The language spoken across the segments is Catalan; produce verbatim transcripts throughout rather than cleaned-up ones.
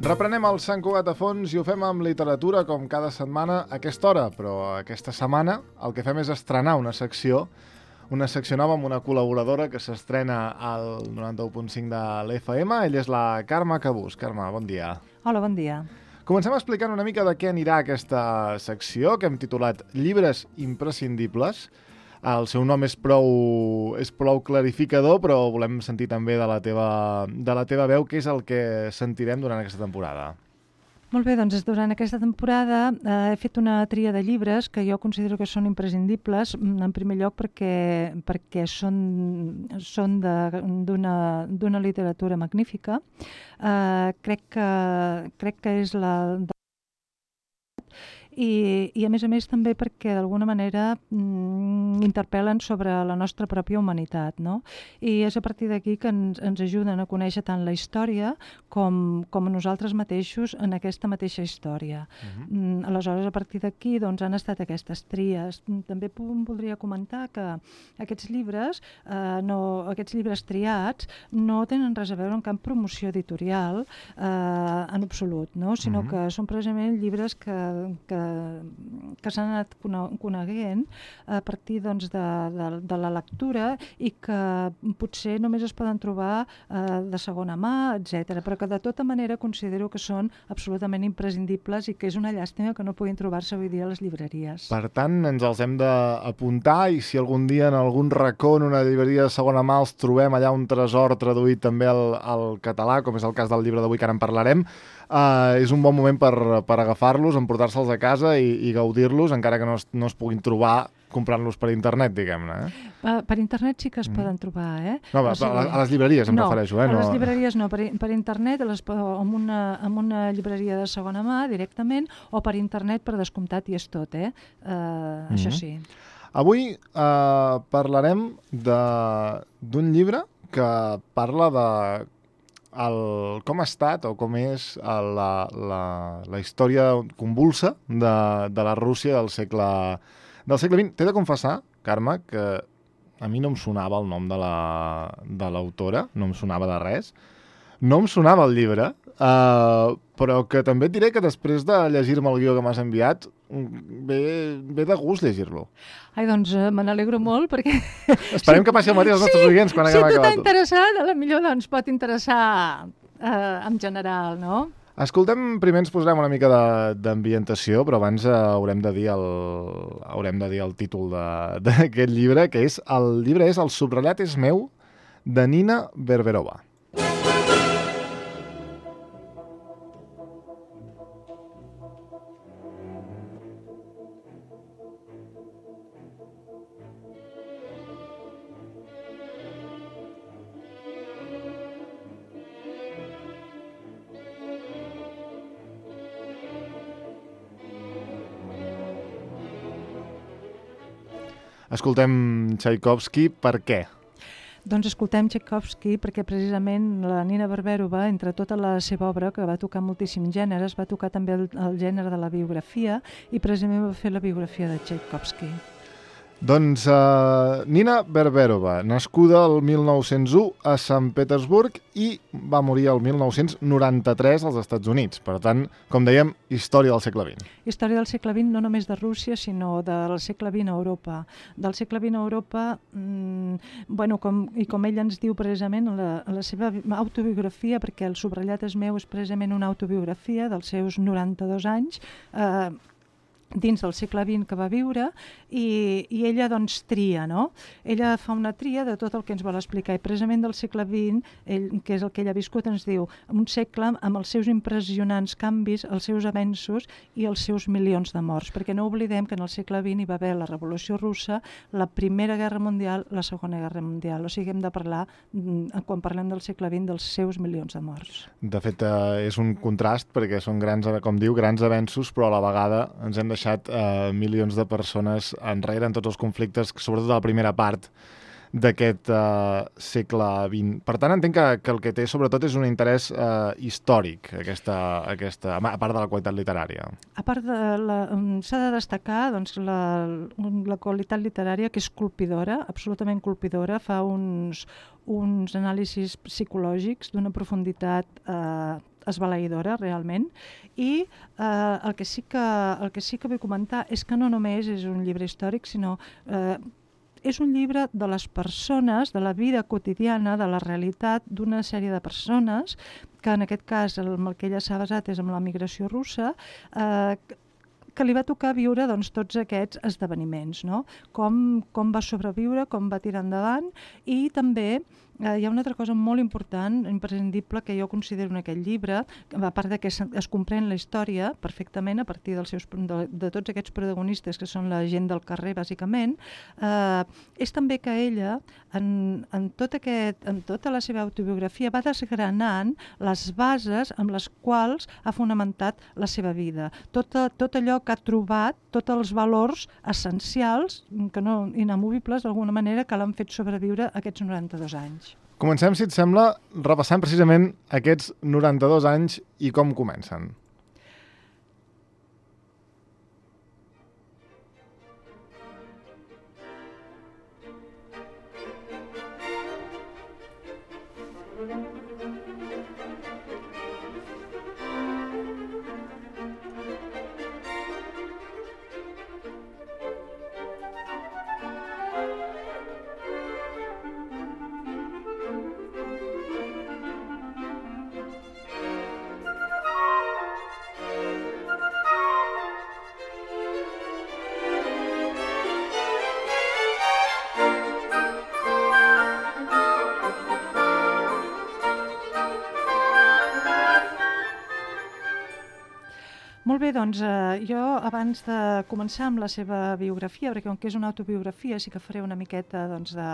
Reprenem el Sant Cugat a fons i ho fem amb literatura com cada setmana a aquesta hora, però aquesta setmana el que fem és estrenar una secció, una secció nova amb una col·laboradora que s'estrena al noranta-u punt cinc de l'F M. Ella és la Carme Cabús. Carme, bon dia. Hola, bon dia. Comencem explicant una mica de què anirà aquesta secció, que hem titulat Llibres imprescindibles. El seu nom és prou, és prou clarificador, però volem sentir també de la teva, de la teva veu què és el que sentirem durant aquesta temporada. Molt bé, doncs durant aquesta temporada eh, he fet una tria de llibres que jo considero que són imprescindibles, en primer lloc perquè, perquè són, són d'una d'una literatura magnífica. Eh, crec, que, crec que és la... I, i a més a més també perquè d'alguna manera mm, interpel·len sobre la nostra pròpia humanitat, no? I és a partir d'aquí que ens, ens ajuden a conèixer tant la història com, com a nosaltres mateixos en aquesta mateixa història. Uh-huh. mm, aleshores, a partir d'aquí doncs, han estat aquestes tries. També voldria comentar que aquests llibres, eh, no, aquests llibres triats no tenen res a veure amb cap promoció editorial eh, en absolut, no? Sinó uh-huh. que són precisament llibres que, que que s'han anat coneguent a partir doncs, de, de, de la lectura i que potser només es poden trobar eh, de segona mà, etcètera, però que de tota manera considero que són absolutament imprescindibles i que és una llàstima que no puguin trobar-se avui dia a les llibreries. Per tant, ens els hem d'apuntar i si algun dia en algun racó en una llibreria de segona mà els trobem allà un tresor traduït també al, al català, com és el cas del llibre d'avui que ara en parlarem, Uh, és un bon moment per, per agafar-los, emportar-se'ls a casa i, i gaudir-los, encara que no es, no es puguin trobar comprant-los per internet, diguem-ne. Eh? Uh, per internet sí que es mm. poden trobar, eh? No, o sigui, a les llibreries em no, refereixo, eh? No, a les no... llibreries no. Per, per internet, les, amb, una, amb una llibreria de segona mà, directament, o per internet, per descomptat, i és tot, eh? Uh, mm. Això sí. Avui uh, parlarem d'un llibre que parla de el, com ha estat o com és la, la, la història convulsa de, de la Rússia del segle, del segle vint. T'he de confessar, Carme, que a mi no em sonava el nom de l'autora, la, no em sonava de res, no em sonava el llibre, uh, però que també et diré que després de llegir-me el guió que m'has enviat, ve, ve de gust llegir-lo. Ai, doncs uh, me n'alegro molt perquè... Esperem que passi el mateix als nostres sí, oients quan haguem acabat. Si tu acabat. t'ha interessat, a la millor doncs, pot interessar uh, en general, no? Escoltem, primer ens posarem una mica d'ambientació, però abans uh, haurem de dir el, haurem de dir el títol d'aquest llibre, que és, el llibre és El subratllat és meu, de Nina Berberova. Escoltem Tchaikovsky, per què? Doncs escoltem Tchaikovsky perquè precisament la Nina Berberova, entre tota la seva obra, que va tocar moltíssims gèneres, va tocar també el, el gènere de la biografia i precisament va fer la biografia de Tchaikovsky. Doncs uh, Nina Berberova, nascuda el mil nou-cents u a Sant Petersburg i va morir el mil nou-cents noranta-tres als Estats Units. Per tant, com dèiem, història del segle vint. Història del segle vint, no només de Rússia, sinó del segle vint a Europa. Del segle vint a Europa, mmm, bueno, com, i com ella ens diu precisament en la, en la seva autobiografia, perquè El subratllat és meu és precisament una autobiografia dels seus noranta-dos anys, eh, dins del segle vint que va viure, i, i ella doncs tria, no? Ella fa una tria de tot el que ens vol explicar, i precisament del segle vint, ell, que és el que ella ha viscut, ens diu un segle amb els seus impressionants canvis, els seus avenços i els seus milions de morts, perquè no oblidem que en el segle vint hi va haver la Revolució Russa, la Primera Guerra Mundial, la Segona Guerra Mundial, o sigui, hem de parlar, quan parlem del segle vint, dels seus milions de morts. De fet, eh, és un contrast, perquè són grans, com diu, grans avenços, però a la vegada ens hem deixat eh, milions de persones enrere en tots els conflictes, sobretot a la primera part d'aquest eh, segle vint. Per tant, entenc que, que el que té sobretot és un interès eh, històric, aquesta, aquesta, a part de la qualitat literària. A part de la, s'ha de destacar doncs, la, la qualitat literària, que és colpidora, absolutament colpidora, fa uns, uns anàlisis psicològics d'una profunditat eh, esbalaïdora, realment. I eh, el, que sí que, el que sí que vull comentar és que no només és un llibre històric, sinó eh, és un llibre de les persones, de la vida quotidiana, de la realitat d'una sèrie de persones, que en aquest cas el, el que ella s'ha basat és amb la migració russa, eh, que li va tocar viure doncs, tots aquests esdeveniments, no? Com, com va sobreviure, com va tirar endavant, i també eh, hi ha una altra cosa molt important, imprescindible, que jo considero en aquest llibre, a part de que es, es comprèn la història perfectament a partir dels seus, de, de tots aquests protagonistes, que són la gent del carrer, bàsicament, eh, és també que ella, en, en, tot aquest, en tota la seva autobiografia, va desgranant les bases amb les quals ha fonamentat la seva vida. Tot, tot allò que ha trobat, tots els valors essencials, que no inamovibles d'alguna manera, que l'han fet sobreviure aquests noranta-dos anys. Comencem, si et sembla, repassant precisament aquests noranta-dos anys i com comencen. Molt bé, doncs eh, jo abans de començar amb la seva biografia, perquè com que és una autobiografia sí que faré una miqueta doncs, de...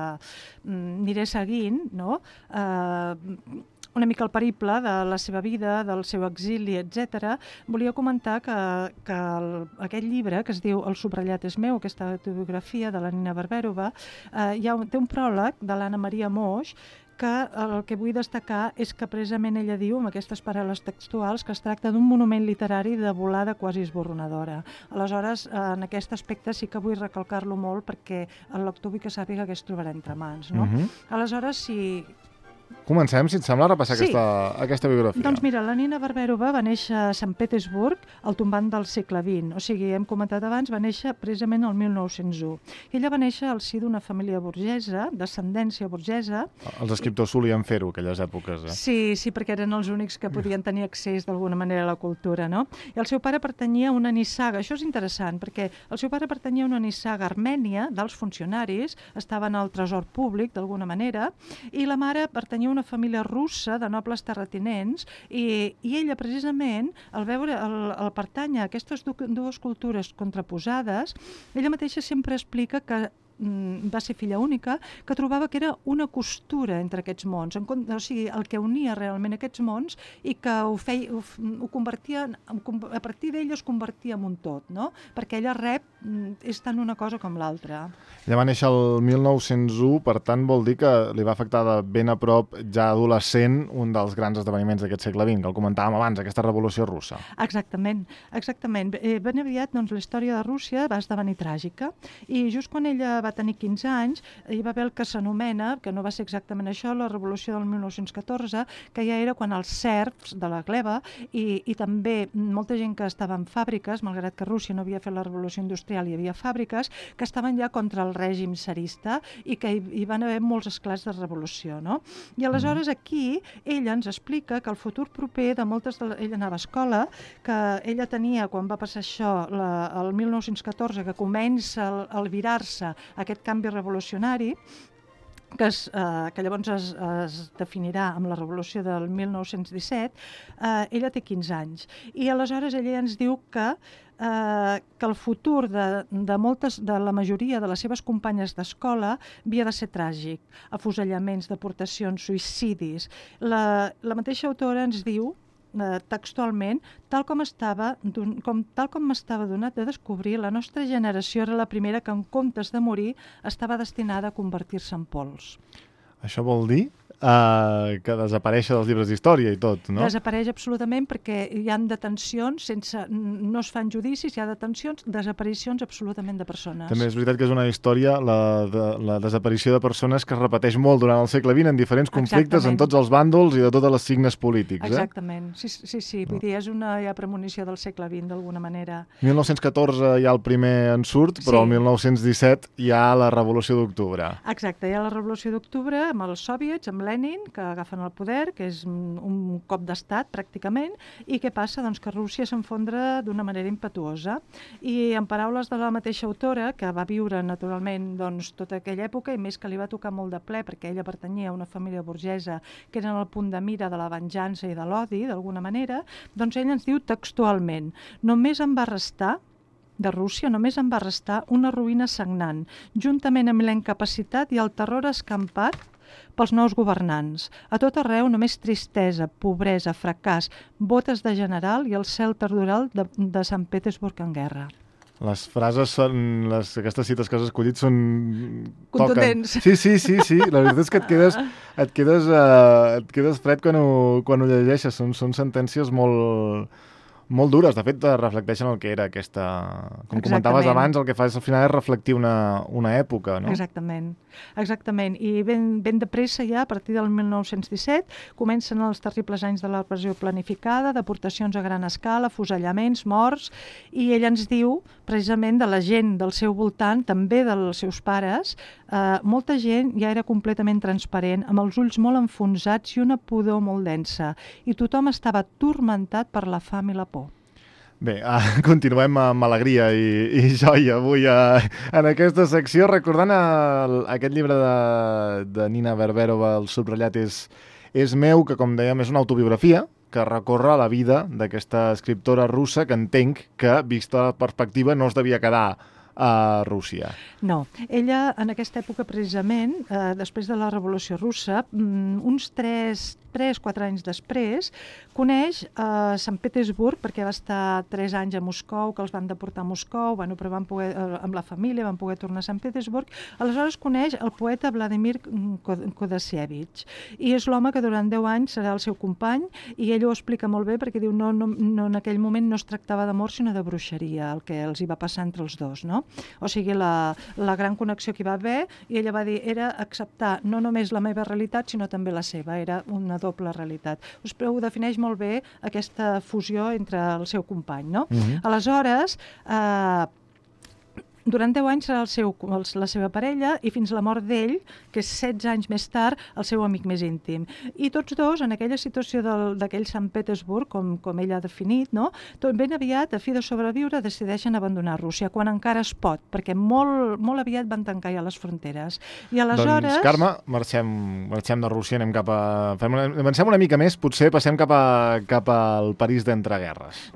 Mm, aniré seguint, no? Eh, una mica el periple de la seva vida, del seu exili, etcètera. Volia comentar que, que el, aquest llibre, que es diu El subratllat és meu, aquesta autobiografia de la Nina Barberova, eh, hi ha un, té un pròleg de l'Anna Maria Moix, que el que vull destacar és que precisament ella diu, amb aquestes paraules textuals, que es tracta d'un monument literari de volada quasi esborronadora. Aleshores, en aquest aspecte sí que vull recalcar-lo molt perquè el lector vull que sàpiga què es trobarà entre mans. No? Uh-huh. Aleshores, si... Comencem, si et sembla, a repassar sí. aquesta, aquesta biografia. Doncs mira, la Nina Barberova va néixer a Sant Petersburg al tombant del segle vint. O sigui, hem comentat abans, va néixer precisament el mil nou-cents u. Ella va néixer al si d'una família burgesa, d'ascendència burgesa. Els escriptors solien fer-ho, aquelles èpoques. Eh? Sí, sí, perquè eren els únics que podien tenir accés d'alguna manera a la cultura, no? I el seu pare pertanyia a una nissaga. Això és interessant, perquè el seu pare pertanyia a una nissaga armènia dels funcionaris, estava en el tresor públic, d'alguna manera, i la mare pertanyia a una família russa de nobles terratinents i, i ella precisament al veure el, el pertànyer a aquestes dues cultures contraposades, ella mateixa sempre explica que va ser filla única, que trobava que era una costura entre aquests mons, en, o sigui, el que unia realment aquests mons i que ho, feia, ho, ho convertia, a partir d'ella es convertia en un tot, no? Perquè ella rep, és tant una cosa com l'altra. Ella va néixer el mil nou-cents u, per tant vol dir que li va afectar de ben a prop, ja adolescent, un dels grans esdeveniments d'aquest segle vint, que el comentàvem abans, aquesta revolució russa. Exactament, exactament. Ben aviat doncs, la història de Rússia va esdevenir tràgica i just quan ella va tenir quinze anys, hi va haver el que s'anomena, que no va ser exactament això, la revolució del mil nou-cents catorze, que ja era quan els serfs de la gleba i, i també molta gent que estava en fàbriques, malgrat que Rússia no havia fet la revolució industrial, hi havia fàbriques que estaven ja contra el règim tsarista i que hi, hi van haver molts esclats de revolució, no? I aleshores aquí ella ens explica que el futur proper de moltes... De... Ella anava a escola, que ella tenia, quan va passar això, la, el mil nou-cents catorze, que comença a albirar-se aquest canvi revolucionari, que, es, eh, que llavors es, es definirà amb la revolució del mil nou-cents disset, eh, ella té quinze anys. I aleshores ella ens diu que Eh, que el futur de, de, moltes, de la majoria de les seves companyes d'escola havia de ser tràgic. Afusellaments, deportacions, suïcidis. La, la mateixa autora ens diu eh, textualment, tal com estava com, tal com m'estava donat a descobrir, la nostra generació era la primera que en comptes de morir estava destinada a convertir-se en pols. Això vol dir uh, que desapareix dels llibres d'història i tot, no? Desapareix absolutament perquè hi ha detencions, sense, no es fan judicis, hi ha detencions, desaparicions absolutament de persones. També és veritat que és una història, la, de, la desaparició de persones que es repeteix molt durant el segle vint en diferents conflictes, Exactament. En tots els bàndols i de totes les signes polítics. Exactament, eh? sí, sí, sí. Vull dir, és una ja premonició del segle vint d'alguna manera. mil nou-cents catorze hi ha el primer ensurt, però el Sí. mil nou-cents disset hi ha la Revolució d'Octubre. Exacte, hi ha la Revolució d'Octubre amb els soviets, amb Lenin, que agafen el poder, que és un cop d'estat pràcticament, i què passa? Doncs que Rússia s'enfondra d'una manera impetuosa. I en paraules de la mateixa autora, que va viure naturalment doncs, tota aquella època, i més que li va tocar molt de ple, perquè ella pertanyia a una família burgesa que eren el punt de mira de la venjança i de l'odi, d'alguna manera, doncs ella ens diu textualment: només em va restar de Rússia només en va restar una ruïna sagnant, juntament amb la incapacitat i el terror escampat pels nous governants. A tot arreu només tristesa, pobresa, fracàs, botes de general i el cel terdoral de, de Sant Petersburg en guerra. Les frases són... Les, aquestes cites que has escollit són... Contundents. Toquen. Sí, sí, sí, sí. La veritat és que et quedes, et quedes, uh, et quedes fred quan ho, quan ho llegeixes. Són, són sentències molt... molt dures, de fet reflecteixen el que era aquesta... Com Exactament. Comentaves abans, el que fa és al final és reflectir una, una època, no? Exactament, exactament. I ben, ben de pressa ja, a partir del mil nou-cents disset, comencen els terribles anys de la repressió planificada, deportacions a gran escala, fusellaments, morts, i ell ens diu, precisament de la gent del seu voltant, també dels seus pares, eh, molta gent ja era completament transparent, amb els ulls molt enfonsats i una pudor molt densa, i tothom estava turmentat per la fam i la por. Bé, uh, continuem amb alegria i, i joia avui uh, en aquesta secció, recordant el, aquest llibre de, de Nina Verberova, El subratllat és, és meu, que com dèiem és una autobiografia que recorre la vida d'aquesta escriptora russa que entenc que, vista la perspectiva, no es devia quedar a Rússia. No, ella en aquesta època precisament, eh, després de la Revolució Russa, uns tres, tres, quatre anys després, coneix a eh, Sant Petersburg, perquè va estar tres anys a Moscou, que els van deportar a Moscou, bueno, però van poder, eh, amb la família van poder tornar a Sant Petersburg. Aleshores coneix el poeta Vladimir Kodasievich, i és l'home que durant deu anys serà el seu company, i ell ho explica molt bé perquè diu no, no, no en aquell moment no es tractava d'amor sinó de bruixeria, el que els hi va passar entre els dos, no? O sigui, la, la gran connexió que hi va haver, i ella va dir, era acceptar no només la meva realitat, sinó també la seva, era una doble realitat. Us ho defineix molt bé aquesta fusió entre el seu company, no? Uh-huh. Aleshores, eh, durant deu anys serà el seu, el, la seva parella, i fins la mort d'ell, que és setze anys més tard, el seu amic més íntim. I tots dos, en aquella situació d'aquell Sant Petersburg, com, com ell ha definit, no? Tot ben aviat, a fi de sobreviure, decideixen abandonar Rússia, quan encara es pot, perquè molt, molt aviat van tancar ja les fronteres. I aleshores... Doncs, Carme, marxem, marxem de Rússia, anem cap a... Fem una, avancem una mica més, potser passem cap, a, cap al París d'entreguerres.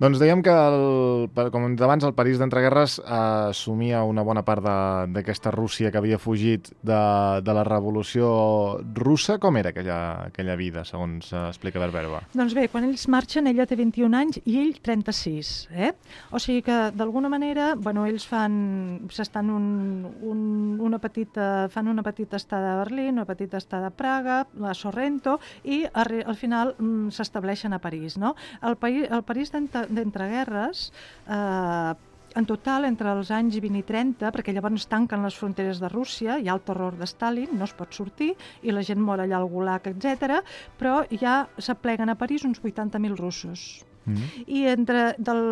Doncs dèiem que, el, com hem dit abans, el París d'entreguerres eh, assumia una bona part d'aquesta Rússia que havia fugit de, de la Revolució Russa. Com era aquella, aquella vida, segons eh, explica Verberova? Doncs bé, quan ells marxen, ella té vint-i-un anys i ell trenta-sis. Eh? O sigui que, d'alguna manera, bueno, ells fan, s'estan un, un, una petita, fan una petita estada a Berlín, una petita estada a Praga, a Sorrento, i al final s'estableixen a París. No? El, País, el París d'entreguerres, eh, en total, entre els anys vint i trenta, perquè llavors tanquen les fronteres de Rússia, hi ha el terror de Stalin, no es pot sortir, i la gent mor allà al Gulag, etcètera, però ja s'apleguen a París uns vuitanta mil russos. Mm-hmm. I entre, del,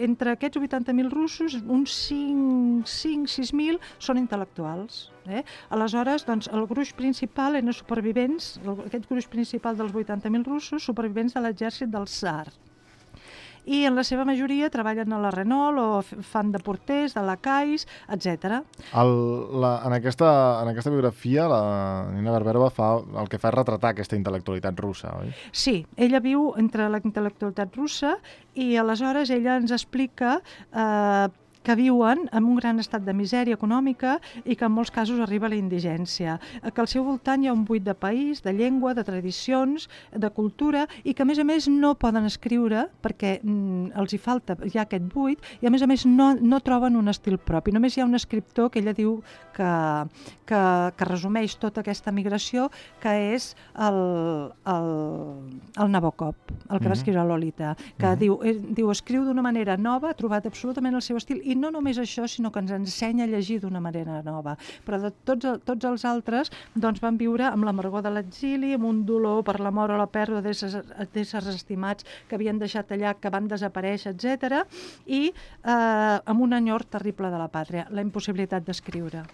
entre aquests vuitanta mil russos, uns cinc sis mil són intel·lectuals. Eh? Aleshores, doncs, el gruix principal eren supervivents, aquest gruix principal dels vuitanta mil russos, supervivents de l'exèrcit del tsar. I en la seva majoria treballen a la Renault o fan de porters, de lacais, etcètera. El, la, en, aquesta, en aquesta biografia, la Nina Verberova fa, el que fa és retratar aquesta intel·lectualitat russa, oi? Sí, ella viu entre la intel·lectualitat russa i aleshores ella ens explica eh, que viuen en un gran estat de misèria econòmica i que en molts casos arriba a la indigència, que al seu voltant hi ha un buit de país, de llengua, de tradicions, de cultura, i que a més a més no poden escriure perquè mm, els hi falta ja aquest buit, i a més a més no, no troben un estil propi. Només hi ha un escriptor que ella diu que, que, que resumeix tota aquesta migració, que és el, el, el Nabokov, el que mm-hmm. va escriure Lolita, que mm-hmm. diu, eh, diu, escriu d'una manera nova, ha trobat absolutament el seu estil, i no només això, sinó que ens ensenya a llegir d'una manera nova. Però de tots, tots els altres doncs, van viure amb l'amargor de l'exili, amb un dolor per la mort o la pèrdua d'éssers estimats que havien deixat allà, que van desaparèixer, etcètera, i eh, amb un enyor terrible de la pàtria, la impossibilitat d'escriure.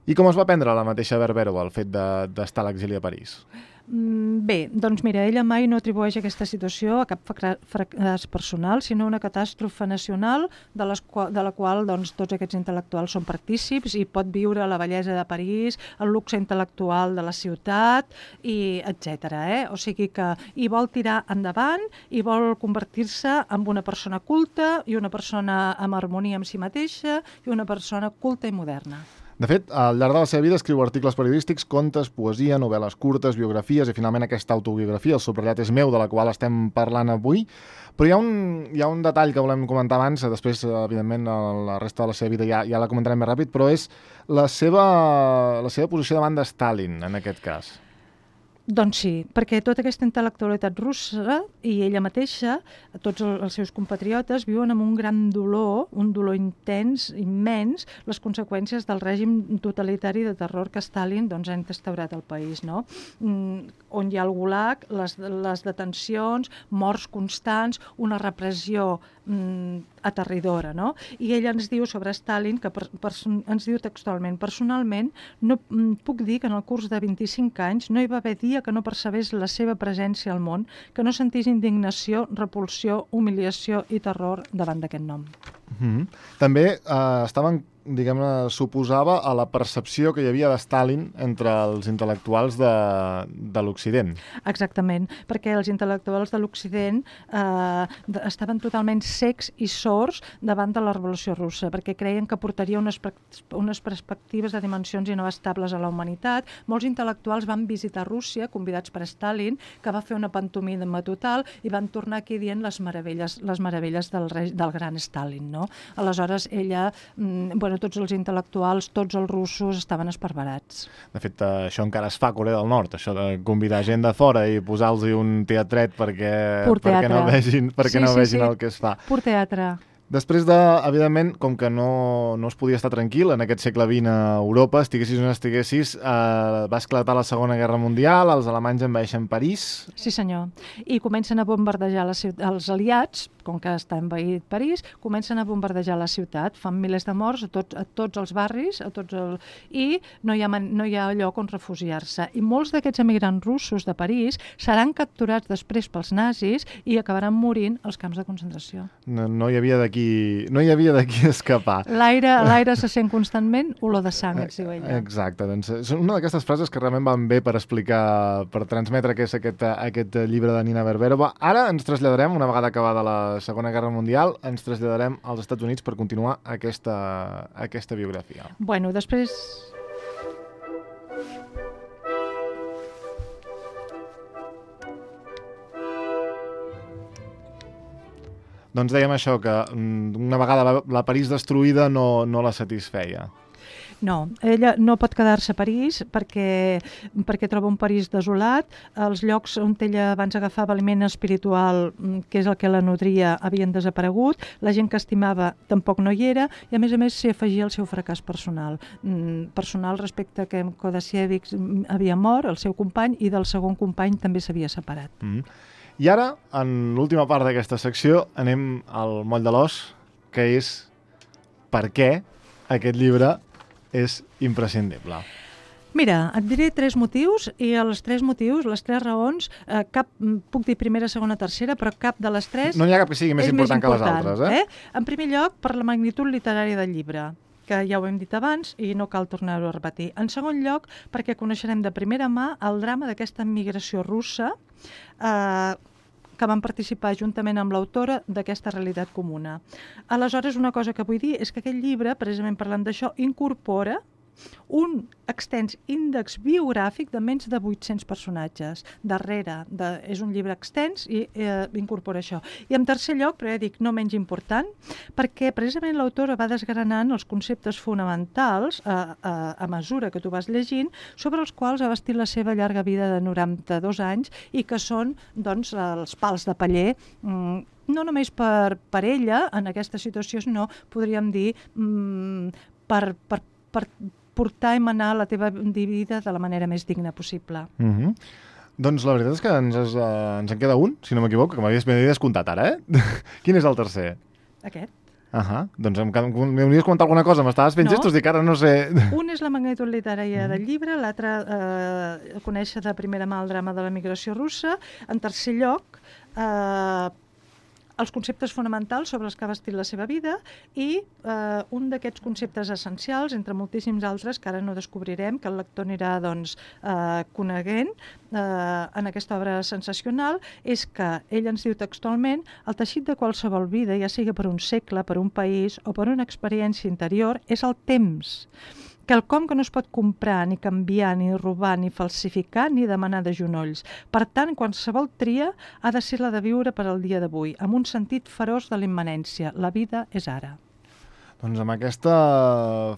I com es va prendre la mateixa Verberova el fet d'estar a l'exili a París? Bé, doncs mira, ella mai no atribueix aquesta situació a cap fracàs personal, sinó una catàstrofe nacional de, les qual, de la qual doncs, tots aquests intel·lectuals són partícips i pot viure la bellesa de París, el luxe intel·lectual de la ciutat, i etcètera. Eh? O sigui que hi vol tirar endavant i vol convertir-se en una persona culta i una persona amb harmonia amb si mateixa i una persona culta i moderna. De fet, al llarg de la seva vida escriu articles periodístics, contes, poesia, novel·les curtes, biografies i finalment aquesta autobiografia, El subratllat és meu, de la qual estem parlant avui. Però hi ha un, hi ha un detall que volem comentar abans, després, evidentment, la resta de la seva vida ja, ja la comentarem més ràpid, però és la seva, la seva posició davant de Stalin, en aquest cas. Doncs sí, perquè tota aquesta intel·lectualitat russa i ella mateixa, tots els seus compatriotes, viuen amb un gran dolor, un dolor intens, immens, les conseqüències del règim totalitari de terror que Stalin doncs, ha instaurat al país, no? Mm, on hi ha el gulag, les, les detencions, morts constants, una repressió mm, aterridora, no? I ella ens diu sobre Stalin, que per, per, ens diu textualment, personalment, no puc dir que en el curs de vint-i-cinc anys no hi va haver dia que no percebés la seva presència al món, que no sentís indignació, repulsió, humiliació i terror davant d'aquest nom. Mm-hmm. També eh, estaven diguem-ne, suposava a la percepció que hi havia de Stalin entre els intel·lectuals de, de l'Occident. Exactament, perquè els intel·lectuals de l'Occident eh, estaven totalment cecs i sords davant de la Revolució Russa, perquè creien que portaria unes, unes perspectives de dimensions inabastable a la humanitat. Molts intel·lectuals van visitar Rússia, convidats per Stalin, que va fer una pantomima total, i van tornar aquí dient les meravelles, les meravelles del, rei, del gran Stalin, no? Aleshores, ella... Mm, bueno, tots els intel·lectuals, tots els russos estaven esparverats. De fet, això encara es fa a Corea del Nord, això de convidar gent de fora i posar-los un teatret perquè, perquè no vegin, perquè sí, no vegin sí, sí. el que es fa. Pur teatre. Després de, evidentment, com que no, no es podia estar tranquil en aquest segle vint a Europa, estiguessis o no estiguessis, eh, va esclatar la Segona Guerra Mundial, els alemanys envaeixen París. Sí, senyor. I comencen a bombardejar la ciutat, els aliats, com que està envaït París, comencen a bombardejar la ciutat, fan milers de morts a, tot, a tots els barris, a tots el... i no hi ha, no hi ha lloc on refugiar-se. I molts d'aquests emigrants russos de París seran capturats després pels nazis i acabaran morint als camps de concentració. No, no hi havia d'aquí no hi havia d'aquí escapar. L'aire se sent constantment olor de sang, et diu ella. Exacte, doncs és una d'aquestes frases que realment van bé per explicar, per transmetre què és aquest, aquest llibre de Nina Verberova. Ara ens traslladarem, una vegada acabada la Segona Guerra Mundial, ens traslladarem als Estats Units per continuar aquesta, aquesta biografia. Bueno, després... Doncs dèiem això, que una vegada la París destruïda no, no la satisfeia. No, ella no pot quedar-se a París perquè, perquè troba un París desolat. Els llocs on ella abans agafava aliment espiritual, que és el que la nodria, havien desaparegut. La gent que estimava tampoc no hi era i, a més a més, s'hi afegia el seu fracàs personal. Personal respecte a que Kodasiewicz havia mort, el seu company, i del segon company també s'havia separat. Mm. I ara, en l'última part d'aquesta secció, anem al moll de l'os, que és per què aquest llibre és imprescindible. Mira, et diré tres motius i els tres motius, les tres raons, eh, cap, puc dir primera, segona, tercera, però cap de les tres... No n'hi ha cap que sigui més important, més important que les altres, eh? eh? En primer lloc, per la magnitud literària del llibre, que ja ho hem dit abans i no cal tornar-ho a repetir. En segon lloc, perquè coneixerem de primera mà el drama d'aquesta migració russa, eh, que van participar juntament amb l'autora d'aquesta realitat comuna. Aleshores, una cosa que vull dir és que aquest llibre, precisament parlant d'això, incorpora un extens índex biogràfic de menys de vuit-cents personatges. Darrere, de, és un llibre extens i eh, incorpora això. I en tercer lloc, però ja dic, no menys important, perquè precisament l'autora va desgranant els conceptes fonamentals a, a, a mesura que tu vas llegint, sobre els quals ha bastit la seva llarga vida de noranta-dos anys i que són, doncs, els pals de paller, mm, no només per, per ella, en aquesta situació, sinó, podríem dir, mm, per, per, per portar i manar la teva vida de la manera més digna possible. Mm-hmm. Doncs la veritat és que ens, es, uh, ens en queda un, si no m'equivoco, que m'havies descomptat ara, eh? Quin és el tercer? Aquest. Ahà, doncs m'hauries comentat alguna cosa, m'estaves fent no. gestos, dic ara no sé... Un és la magnitud literària del llibre, l'altre eh, conèixer de primera mà el drama de la migració russa, en tercer lloc, eh, els conceptes fonamentals sobre els que ha bastit la seva vida i eh, un d'aquests conceptes essencials, entre moltíssims altres que ara no descobrirem, que el lector anirà doncs, eh, coneguent eh, en aquesta obra sensacional, és que ell ens diu textualment: el teixit de qualsevol vida, ja sigui per un segle, per un país o per una experiència interior, és el temps. Quelcom que no es pot comprar, ni canviar, ni robar, ni falsificar, ni demanar de genolls. Per tant, qualsevol tria ha de ser la de viure per al dia d'avui, amb un sentit feroç de l'immanència. La vida és ara. Doncs amb aquesta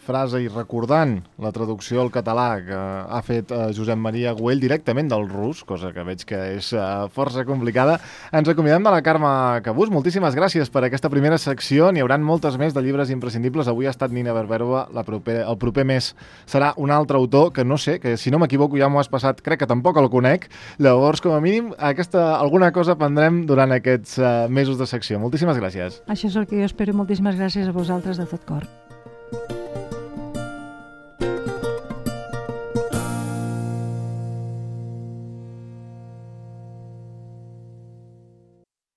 frase i recordant la traducció al català que ha fet eh, Josep Maria Güell directament del rus, cosa que veig que és eh, força complicada, ens acomiadem de la Carme Cabús. Moltíssimes gràcies per aquesta primera secció. N'hi haurà moltes més de llibres imprescindibles. Avui ha estat Nina Verberova, la proper, el proper mes serà un altre autor que no sé, que si no m'equivoco ja m'ho has passat, crec que tampoc el conec. Llavors, com a mínim, aquesta, alguna cosa prendrem durant aquests eh, mesos de secció. Moltíssimes gràcies. Això és el que jo espero. Moltíssimes gràcies a vosaltres de tot cor.